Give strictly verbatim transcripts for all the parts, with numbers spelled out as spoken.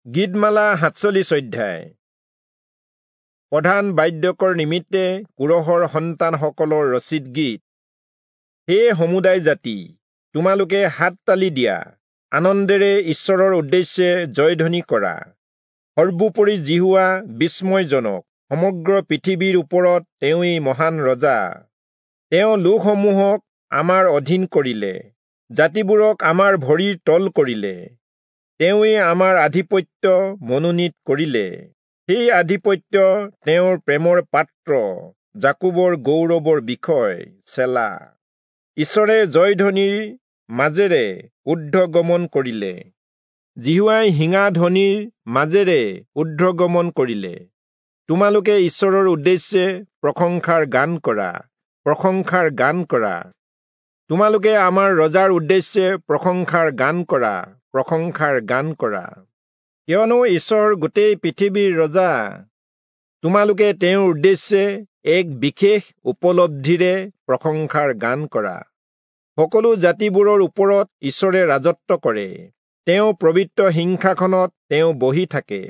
গীতমালা সাতচল্লিশ অধ্যায়। প্ৰধান বাদ্যকৰ নিমিত্তে কোৰহৰ সন্তানসকলৰ ৰচিত গীত। হে সমুদায় জাতি, তোমালোকে হাত তালি দিয়া, আনন্দেৰে ঈশ্বৰৰ উদ্দেশ্যে জয়ধ্বনি কৰা। সৰ্বোপৰি যিহোৱা বিস্ময়জনক, সমগ্ৰ পৃথিৱীৰ ওপৰত তেওঁৱেই মহান ৰজা। তেওঁ লোকসমূহক আমাৰ অধীন কৰিলে, জাতিবোৰক আমাৰ ভৰিৰ তল কৰিলে। তেওঁৱেই আমাৰ আধিপত্য মনোনীত কৰিলে, সেই আধিপত্য তেওঁৰ প্ৰেমৰ পাত্ৰ, যাকোবৰ গৌৰৱৰ বিষয়। চেলা। ঈশ্বৰে জয়ধ্বনিৰ মাজেৰে ঊৰ্ধ্বগমন কৰিলে, যিহোৱাই শিঙাধ্বনিৰ মাজেৰে ঊৰ্ধ্বগমন কৰিলে। তোমালোকে ঈশ্বৰৰ উদ্দেশ্যে প্ৰশংসাৰ গান কৰা, প্ৰশংসাৰ গান কৰা। তোমালোকে আমাৰ ৰজাৰ উদ্দেশ্যে প্ৰশংসাৰ গান কৰা, প্ৰশংসাৰ গান কৰা। কিয়নো ঈশ্বৰ গোটেই পৃথিৱীৰ ৰজা। তোমালোকে তেওঁৰ উদ্দেশ্যে এক বিশেষ উপলব্ধিৰে প্ৰশংসাৰ গান কৰা। সকলো জাতিবোৰৰ ওপৰত ঈশ্বৰে ৰাজত্ব কৰে, তেওঁ পবিত্ৰ সিংহাসনত তেওঁ বহি থাকে।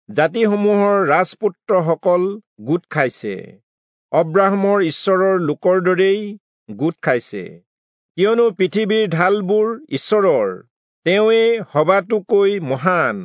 জাতিসমূহৰ ৰাজপুত্ৰসকল গোট খাইছে, অব্ৰাহামৰ ঈশ্বৰৰ লোকৰ দৰেই গোট খাইছে। কিয়নো পৃথিৱীৰ ঢালবোৰ ঈশ্বৰৰ, তেওঁৱেই সবাতোকৈ মহান।